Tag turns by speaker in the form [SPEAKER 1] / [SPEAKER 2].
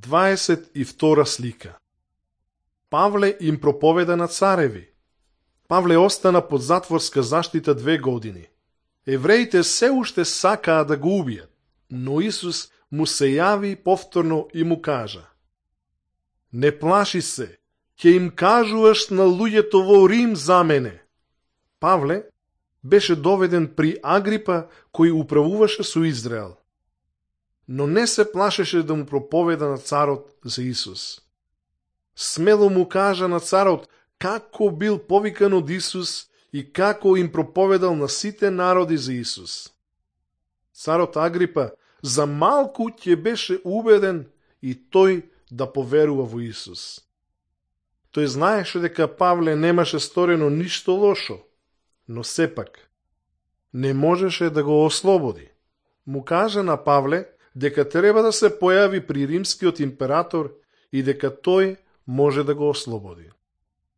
[SPEAKER 1] 22 слика. Павле им проповеда на цареви. Павле остана под затворска заштита 2 години. Евреите се уште сакаа да го убијат, но Исус му се јави повторно и му кажа: не плаши се, ќе им кажуваш на луѓето во Рим за мене. Павле беше доведен при Агрипа, кој управуваше со Израел. Но не се плашеше да му проповеда на царот за Исус. Смело му кажа на царот како бил повикан од Исус и како им проповедал на сите народи за Исус. Царот Агрипа за малку ќе беше убеден и тој да поверува во Исус. Тој знаеше дека Павле немаше сторено ништо лошо, но сепак не можеше да го ослободи. Му кажа на Павле дека треба да се појави при римскиот император и дека тој може да го ослободи.